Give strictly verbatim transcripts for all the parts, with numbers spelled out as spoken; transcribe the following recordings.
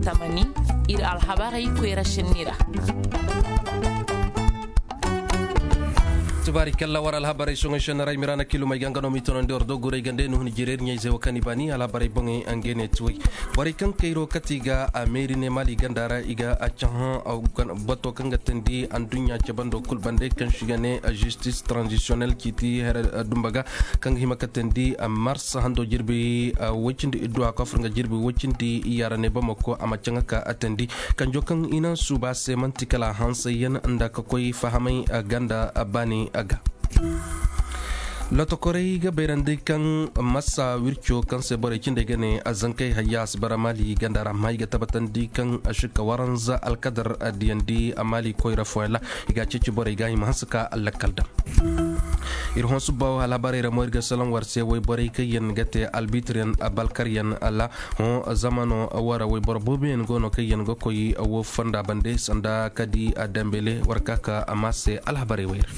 Tamani, ir alhabarey koyra šenni ra. Tubaari kalla war alhabarey soŋey šenni ra i miraana kilumey ga nga no m'i tonandi war do guray ganda i na hun jire ir ɲayzey wo kaŋ i baani alhabarey boŋey. Ngey ne tuwey borey kaŋ kayro kati ga a meeri ne maali ganda ra i ga a cahã bato kaŋ ga teendi adduɲɲa cabando kul bande kaŋ si ga ne žistis tranzisiyonel ciiti here dumba ga kaŋ ga hima ka teendi mars hando jirbi woy cindi idduwa kofur nga jirbi woy cindi yaara ne bamako a ma caŋa ka a teendi kanjo kaŋ i na suuba se man'ti kala hansayyaŋ nda ka koy fahamay ganda baani ga. Lotokorey ga bayrandi kaŋ masa wirco kaŋ se borey cindey ga ne a zankey hayya a si bara maali ganda ra amma i ga tabbatandi kaŋ a si ka waranza alkadar diyandi a maali koyra fooyaŋ ra i ga a ceeci borey ga i ma hanse ka lakkal daŋ. Ir hõ subba wo alhabarey ra mo ir ga salaŋ war se woy borey kaŋ yaŋ ga te albitiryaŋ balkaryaŋ ra. Hõ zamano wo ra woy boro booboyaŋ go no kaŋ yaŋ ga koy wo fonda bande sanda ka di a dambele war ka ka a ma se alhabarey woy ra.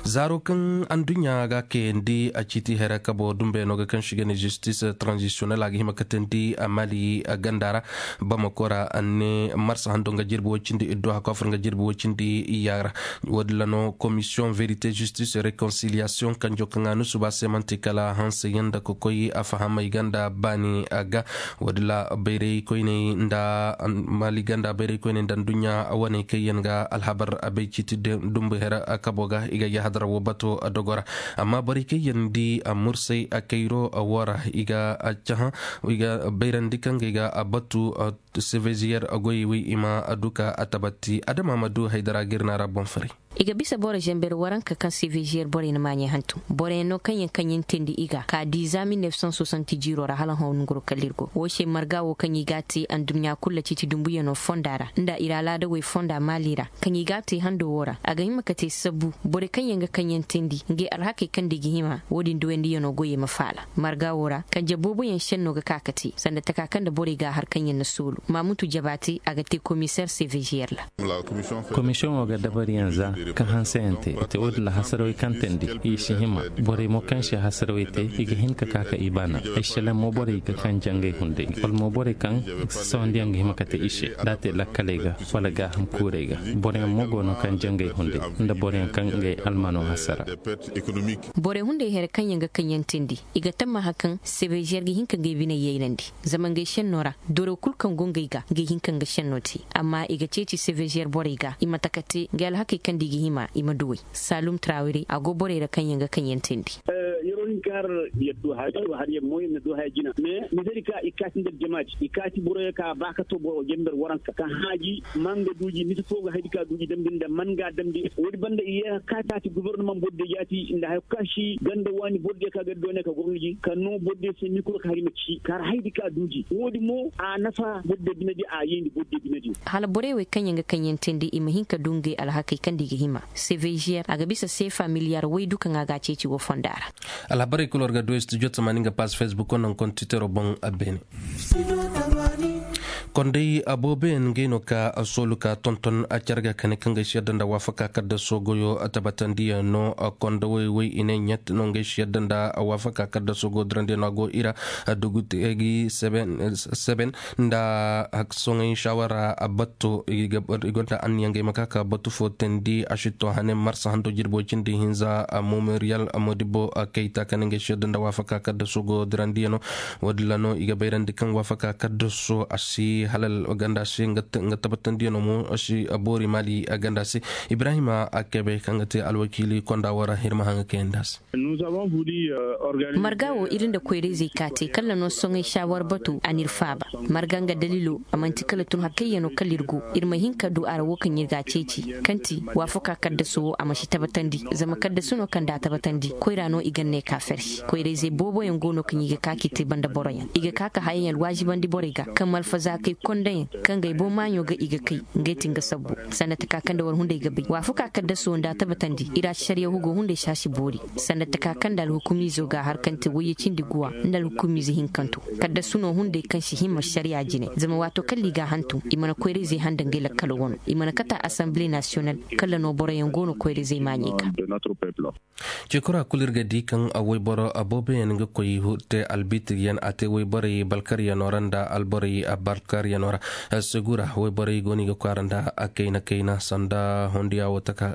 Zaaro kaŋ adduɲɲa ga a kayandi a ciiti hera kabo dumbeyaŋo ga kaŋ si ga ne žistis tranzisiyonel a ga hima ka teendi a maali ganda ra. Bamako ra a ne marsa hando nga jirbi woy cindi iddu hakofur nga jirbi woy cindi iyya ra. Wo- din ra no komisiyoŋ verite žistis rekonsiliyasiyoŋ kanjo kaŋ a nusuba se man'ti kala hanseyaŋ nda ka koy a fahamay ganda baani a ga. Wo- din ra bayray koyney nda maali ganda bayray koyney nda adduɲɲa wane kaŋ yaŋ ga alhabar a bay ciiti dumbu hera kabo ga i ga yahadara wo bato dogo ra. Amma borey kaŋ yaŋ di mursay kayro wo ra i ga cahã i ga bayrandi kaŋ ga i ga batu. Seveziyer goyey wey i ma du ka a tabatti adama ma du haydara ga ir na ra boŋ faray. I ga bisa boro zember waranka kaŋ seveziyer borey na maaɲey hantum boroyaŋ no kaŋ yaŋ kaŋ yaŋ teendi i ga ka di za mil nef san sosanti jiiro ra hala hõ nongoro kala ir go wo se marga wo kaŋ i ga a te anduɲɲa kulu ciiti dumbuyaŋo fonda ra nda ir alaadawey fonda maali ra. Kaŋ i ga a te hando wo ra a ga hima ka te sabbu borey kaŋ yaŋ ga kaŋ yaŋ teendi ngey alhakey kaŋ nda i ga hima wo- din duwandiyaŋo goyey ma faala. Marga wo ra kanje booboyaŋ šenno ga ka ka te sanda taka kaŋ nda borey ga a har kaŋ yaŋ na soolu maamutu jabaate a ga te komiseer seveziyer ra. Komisiyoŋo ga dabariyaŋ za ka hanseyaŋ te i te wo- din ra hasarawey kaŋ teendi i si hima. Borey mo kaŋ si hasarawey te i ga hin ka ka ka i baana. Ay šelaŋ mo borey ga kaŋ jangay hunday wala mo borey kaŋ sawandiyaŋ ga hima ka te i se da a te lakkaley ga wala gaaham kuurey ga. Boroyaŋ mo go no kaŋ jangay hunday nda boroyaŋ kaŋ ngey almano hasara. Borey hunday here kaŋ yaŋ ga kaŋ yaŋ teendi i ga tammaha kaŋ sebeziyer ga hin ka ngey biney yaynandi. Zama ngey šenno ra doro kul kaŋ go ngey ga ngey hin ka nga šenno te. Amma i ga ceeci sebeziyer borey ga i ma taka te ngey alhakey kaŋ nda i ga hima i ma duwey. Saalum trawire a go borey ra kaŋ yaŋ ga kaŋ yaŋ teendi. Yeroo hin ka har yer du haya yer du haya jina mais misali ka i kaati nda aljamaati i kaati boroyo ka ba ka to boro jember waranka ka haaji man ga duuji misa foo ga haydi ka duuji damndi nda man ga damndi woodi banda i yee kaati gobornamaŋ bordiyo jaati nda haya kaŋ si ganda waani bordiyo ka ga doone ka gorniji ka noo bordiyo se mikro ka hari ma ci ka har haydi ka duuji woodi mo a nafa bordiyo binediyo a yeendi bordiyo binediyo. Hala borey wey kaŋ yaŋ ga kaŋ yaŋ teendi i ma hin ka du ngey alhakey kaŋ nda i ga hima seveziyer a ga bisa seefa miliyar waydu kaŋ a ga a ceeci woo fonda ra. Alhabarey kul war ga du studio tamaani nga pass facebook wo naŋ kontitero boŋ. Beene kondey aboobeyaŋ ngey no ka soolu ka tonton a care ga kane kaŋ ga ay si yadda nda waafaka kadda soogoyo tabatandiyaŋ no. Kondowey wey i ne ɲat no ngey si yadda nda waafaka kadda soogo dirandiyaŋ no a go i ra. Dugu teegi seben nda soŋey saawara batto i gonda anniya ngey ma ka ka batu fo teendi a si to hane marsa hando jirbo cindi hinza memorial modibo kayta kane ngey si yadda nda waafaka kadda soogo dirandiyaŋ no. Woodin ra no i ga bayrandi kaŋ waafaka kaddaso a si halal ganda se nga tabatandiyaŋo mo a si boori maali ganda se. Ibrahima akebe kaŋ ga te alwakiili konda wo ra hirma haŋa kayandi a se. Marga wo ir nda koyra-izey ka te kala no soŋay saawar batu a n'ir faaba. Marga nga daliilo a man'ti kala tun hakkayyano kala ir go ir ma hin ka du a ra wo kaŋ ir ga a ceeci kaŋ ti waafaka kaddaso wo a ma si tabatandi zama kaddaso no kaŋ da a tabatandi koyra no i ga ne ka fersi koyra-izey booboyaŋ go no kaŋ i ga ka k'i te banda boroyaŋ i ga ka ka hayayaŋ alwaazibandi borey ga kaŋ malfaza. I kondayaŋ kaŋ ga ay boŋ maaɲo ga i ga kay, ngey ti nga sabbu. Sanda taka kaŋ nda war hunday ga bay waafuka kaddaso nda a tabatandi i ra si sariya hugo hunday si a si boori. Sanda taka kaŋ nda alhukumiizo ga a har kaŋ te wayye cindi guwa nda alhukumiize hinkanto. Kaddasu no hunday kaŋ si hima sariya jine zama waato kala i ga a hantum i mana koyra-izey handa ngey lakkalo wano. I mana kata asanbile nasiyonal kala no boroyaŋ go no koyra-izey maaɲey ga. Ceekura kulu ir ga di kaŋ wayboro booboyaŋ ga koy te albitiryaŋ a te wayborey balkaryanoo ra nda alborey balkaryanoo ra. Segura wayborey go no i ga kwaara nda kayna kayna sanda hondiya wo taka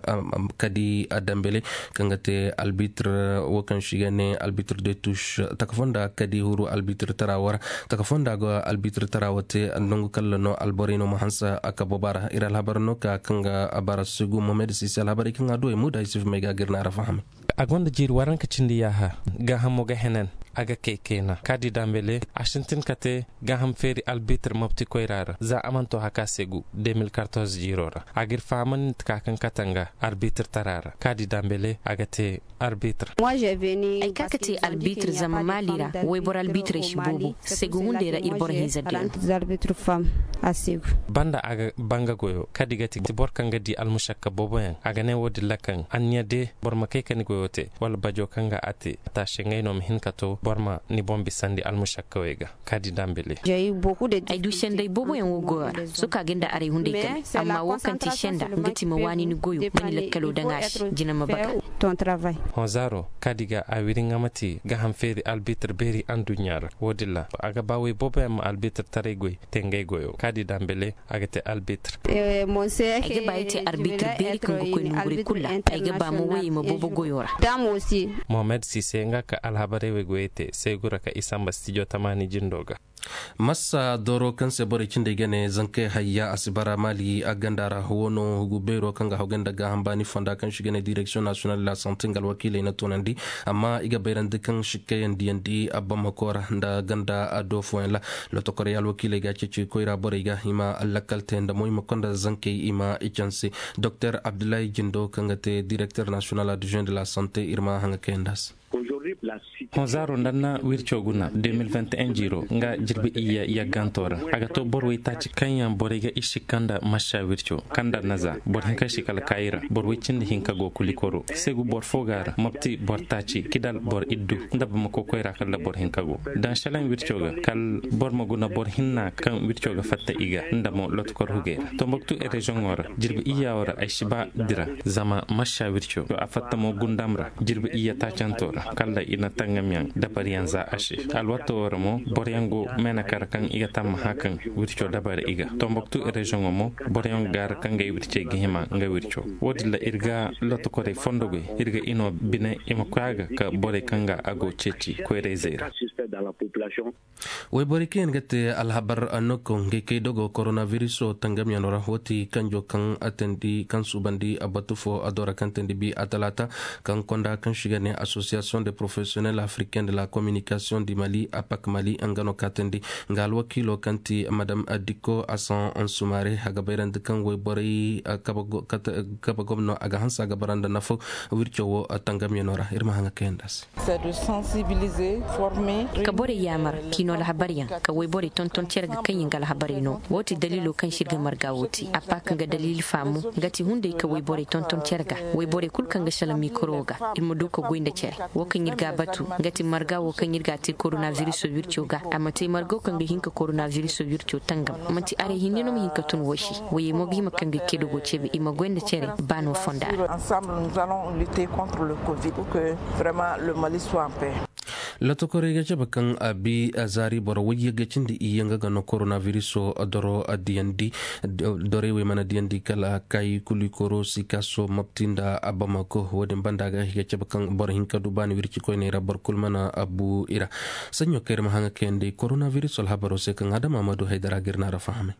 kadi dambele kaŋ ga te albitir wo kaŋ se i ga ne albitir de tush taka fonda kadi huru albitir tara wo ra. Taka fonda go albitir tara wo te nangu kalla no alborey no ma hanse a ka boba ra ir alhabar no ka kaŋ ga bara segu mohamed sisi alhabarey kaŋ a duwey muda isuf may ga gir na ra fahame. A gonda jiiri waranka cindi yaaha gaahamo ga henan a ga kay kayna kaadi dambele a sintin ka te gaaham feeri albitir mopti koyra ra za a mana to haka segu de mil kartoz jiiro ra a g'ir fahamandi nta ka kaŋ katanga albitir tara ra kaadi dambele a ga te albitir. Ay ka ka te albitir zama maali ra wayboro albitirey si boobo segu hunday ra ir boro hinza deenu. Banda a ga banga goyo kadi ga ti boro kaŋ ga di almušakka booboyaŋ a ga ne wo-din ra kaŋ anniya de boro ma kay ka ni goyo te wala bajo kaŋ ga a te a taasi ngey no ma hin ka to boro ma ni boŋ bisandi almušakkawey ga. Kaadi dambele. Ay du senday booboyaŋ wo goyo ra soka ga nda aray hunday kame amma wo kaŋ ti senda nga ti ma waani ni goyo ma ni lakkalo daŋ a se jina ma baga. Honzaaro kaadi ga a wiri nga ma ti gaham feeri albitir beeri anduɲɲa ra wo-din ra a ga ba wey booboyaŋ ma albitir taray goy te ngey goyo kaadi dambele. A ga te albitir. Ay ga ba ay te arbitir beeri kaŋ ga koy nangu borey kulu ra. Ay ga ba mo woy i ma boobo goyo ra. Mohamed sise nga ka alhabarey wey goyey te seegu ra ka i samba stijo tamaani jindo ga. Massa doro kaŋ se borey cindey ga ne zankey hayya a si bara maali a ganda ra wo no hugu beero kaŋ ga haw ganda gaaham baani fonda kaŋ se i ga ne direksiyoŋ nasiyonal de la sante nga alwakiiley na tunandi. Amma i ga bayrandi kaŋ sikkayandiyandi a bamako ra nda ganda a do fooyaŋ ra. Lotokorey alwakiiley ga a ceeci koyra borey ga i ma lakkal te nda mo i ma konda zankey i ma i canse. Doktor abdullahi jindo kaŋ ga te direkter nasiyonal adjoint de la sante ir ma haŋa kayandi a se. Honzaaro nda na wirco guna deux mille vingt et un jiiro nga jirbi iyya yagganto ra a ga to boro waytaaci kaŋ yaŋ borey ga i sikka nda massa wirco kaŋ nda naza boro hinka si kala kaayi ra boro way cindi hinka go kulikoro segu boro fo ga ra mopti boro taaci kidal boro iddu nda bamako koyra kala boro hinka go daŋ selaŋ wirco ga kala boro ma guna boro hinna kaŋ wirco ga fatta i ga nda mo lotkor hugey ra tomboktu reziyoŋo ra jirbi iyya wo ra ay si ba dira zama massa wirco a fatta mo gundam ra jirbi iyya taacanto ra kala i na tangam yaŋ dabari yaŋ za a se alwato wo ra mo boro yaŋ go meene kara kaŋ i ga tamma hã kaŋ wirco dabari i ga tomboktu reziyoŋo mo boro yaŋ ga ra kaŋ ga ay wircey ga hima nga wirco wo- din ra ir ga lotokorey fondo goy ir ga i no bine i ma koy a ga ka borey kaŋ ga a go ceeci koyrayzey ra. Wayborey kaŋ yaŋ ga te alhabar annoko ngey kay dogo koronabiriso tangamyano ra wo ti kanjo kaŋ a teendi kaŋ suubandi a batu fo a do ra kaŋ teendi bi a talaata kaŋ konda kaŋ se i ga ne asosiyasiyoŋ de porofesiyonel afriken de la kominikasiyoŋ di mali apak mali nga no ka teendi nga alwakiilo kaŋ ti madam dikko asan ansumare a ga bayrandi kaŋ wayborey kabe gomno a ga hanse a ga bara nda nafaw wirco wo tangamyano ra ir ma haŋa kayandi a se. Ka borey yaamar k'i no alhabaryaŋ ka wayborey tonton cere ga kaŋ yaŋ ga alhabarey no wo ti daliilo kaŋ se ir ga marga wo te a pa kaŋ ga daliili faamu nga ti hunday ka wayborey tonton cere ga wayborey kulu kaŋ ga sala mikoro ga ir ma du ka goy nda cere wo kaŋ ir ga a batu nga ti marga wo kaŋ ir ga a te koronabiriso wirco ga a ma te margo kaŋ ga hin ka koronabiriso wirco tangam manti aray hinne no ma hin ka tun wo se wayey mo ga hima kaŋ ga ceedo go ceebe i ma goy nda cere ba no fonda ra. Lotokorey ga cabe kaŋ a bi zaari boro wayye ga cindi iyye nga ga no koronabiriso doro diyandi. Dorey wey mana diyandi kala kaayi kuli koro sikaaso mapti nda bamako wo-din banda ga i ga cabe kaŋ boro hinka du baani wirci koyney ra boro kulu mana bu i ra. Saɲɲo kaŋ ir ma haŋa kayandi koronabiriso alhabaro se kaŋ adama ma du haydara ga ir na ra fahamay.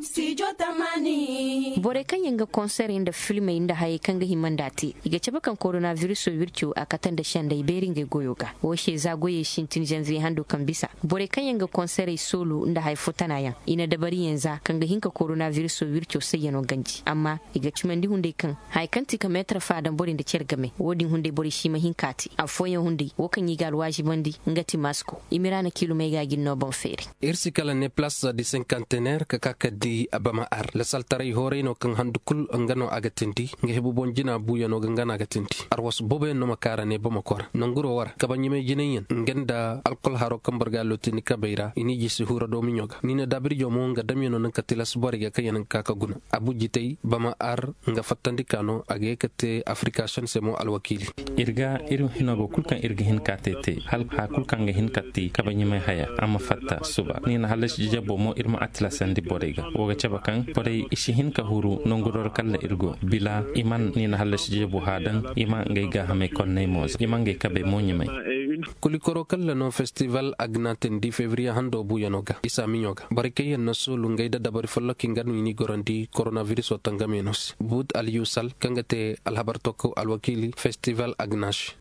Studio tamaani. Borey kaŋ yaŋ ga konserey nda filmey nda hayey kaŋ ga hima nd'a te, i ga cabe kaŋ koronabiriso wirco a kate nda sendey beeri ngey goyo ga. Wo se za goyey sintin zanviye hando kaŋ bisa, borey kaŋ yaŋ ga konserey soolu nda haya fo tana yaŋ, i na dabariyaŋ za kaŋ ga hin ka koronabiriso wirco sayyano ganji. Amma i ga cimandi hunday kaŋ haya kaŋ ti ka meetar fa daŋ borey nda cere game, wo-din hunday borey si ma hin k'a te. Affooyaŋ hunday wo kaŋ i ga alwaazibandi nga ti masko. Imiraana kiilumey ga a ga ni no boŋ feeri. Ir si kala ne palaas di senkanteneer ka ka ka di bama ar lasaltaray hooray no kaŋ handu kul nga no a ga tindi. Nga hebu boŋ jina buuyano ga nga no a ga tindi. Arwasu booboyaŋ no ma kaara ne bama kora nanguro war kabaɲimay jinayyaŋ nga nda alkol haro kaŋ boro ga a looti ni kabey ra i n'i jisi hura doomiɲo ga ni na daabirjo mo nga damyano naŋ ka tilas borey ga kaŋ yaŋ ga ka ka guna. Abu jitay bama ar nga fattandi ka no a ga ye ka te afirika shan se mo alwakiili. Ir ga ir hino go kul kaŋ ir ga hin ka te te hala haya kul kaŋ ga hin ka ti kabaɲimay haya a ma fatta suba ni na hallasi jijabo mo ir ma a tilasandi borey ga. Wo ga cabe kaŋ borey i si hin ka huru nanguror kalla ir go bila i man ni na hallasi jijabo haya daŋ i ma ngey gaahamey konney mo za i ma ngey kabey mo ɲumay. Kulikoro kalla no festival agna tindi fevriye hando buuyano ga isa miɲo ga borey kaŋ yaŋ na soolu ngey da dabari folloki nga no i n'i gorandi koronabiriso tangamyano se buut alyusal kaŋ ga te alhabar tokko alwakiili festival agna se.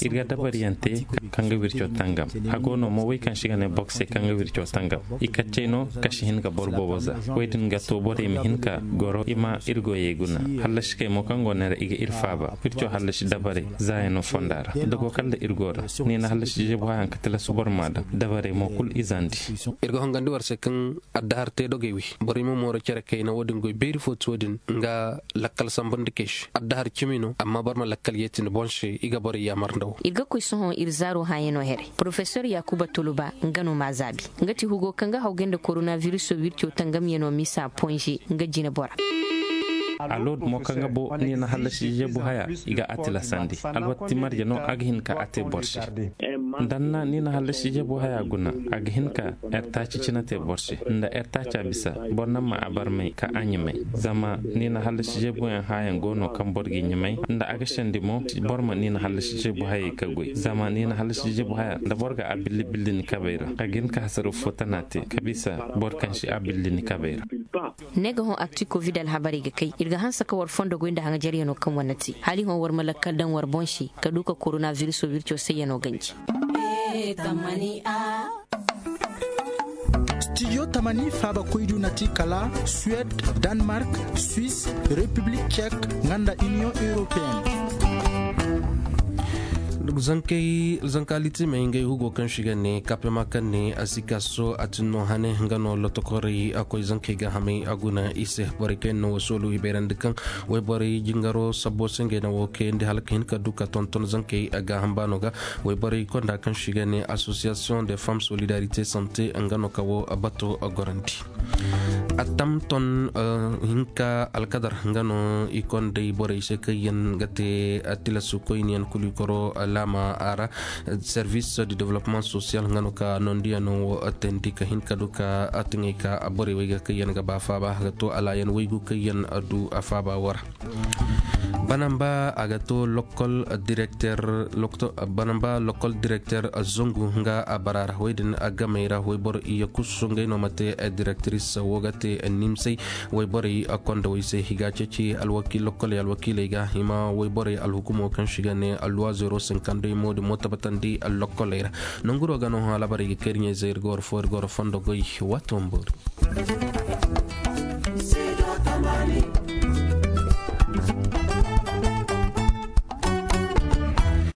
Ir ga dabariyaŋ te kaŋ ga wirco tangam. Hago no mo wey kaŋ si ga ne boro se kaŋ ga wirco tangam. I kaccey no ka si hin ga boro boobo za. Wey din ga to borey ma hin ka goro i ma ir goyey guna. Hallasikey mo kaŋ go ne ra i ga ir faaba wirco hallasi dabarey zaayano fonda ra da go kala ir go ra. Ni na hallasi jebu hayaŋ ka tilas boro ma daŋ dabarey mo kul izandi. Ir ga hongandi war se kaŋ addahar te dogey wi borey ma mooro cere kayna wo-din goy beeri fo ti wo-din nga lakkal sambandi kay se addahar cimi no amma boro ma lakkal yeeti ni boŋ se i ga borey yaamar nda wo. Ir ga koy sohõ ir zaaro hãyano here. Porofesor yakuba tuluba nga no m'a zaabi. Nga ti hugo kaŋ ga hawgay nda koronabiriso wirco tangamyano misa ponze nga jinebora. Alod mo kaŋ ga bo ni na hallasi jebu haya i ga a tilasandi. Alwatti marje no a ga hin ka a te boro se. Danna ni na hallasi jebu haya guna a ga hin ka ertaci cina te boro se nda ertaca bisa boro na ma a barmay ka a ɲumay. Zama ni na hallasi jebuyaŋ hayaŋ go no kaŋ boro g'i ɲumay nda a ga sendi mo boro ma ni na hallasi jebu hayey ka goy zama ni na hallasi jebu haya nda boro ga a billi billi ni kabey ra a ga hin ka hasara fo tana te ka bisa boro kaŋ si a billi ni kabey ra. Ne ga hõ akti kovid alhabarey ga kay ir ga hanse ka war fondo goy nda haŋajaryanoo kaŋ war na te hala i hõ war ma lakkal daŋ war boŋ se ka du ka koronabiriso wirco sayyano ganji. Stijo tamani faabakoydu na ti kala suwed, danmark, swis, repiblik cek, nga nda iniyoŋ europeen. Zankey zanka litimey ngey hugo kaŋ si ga ne kapema kaŋ ne a si kaso a tin no hane nga no lotokorey a koy zankey ga hamey a guna i se borey kaŋ yaŋ na wasoolu hibayrandi kaŋ wayborey jingaro sabbo se ngey na wo kayandi hala ka hin ka du ka tonton zankey a gaaham baano ga. Wayborey konda kaŋ si ga ne association de femmes solidarité santé nga no ka wo bato gorandi. Attam ton hinka alkadar nga no i konday borey se kaŋ yaŋ ga te tilasu koyniyaŋ kulikoro laama a ra. Service de développement social nga no ka nondiyano wo teendi ka hin ka du ka tiŋey ka borey wey ga kaŋ yaŋ ga ba faaba ga to alaayan waygu kaŋ yaŋ du a faaba wo ra. Banamba a ga to lokol direkter banamba lokol direkter zangu nga a bara ra wey din a gamey ra wey boro iya kusu ngey no ma te direktris wo ga te nimsey. Wey borey a konda wey se i ga a ceeci alwakiil lokoley alwakiiley ga i ma wey borey alhukumo kaŋ si ga ne alluwa zero sinkandey mo din mo tabatandi allokoley ra. Nanguro ga no hã alaabarey ga kay ir ɲey zey ir ga war fo ir ga war fondo goy. Waato ma boori.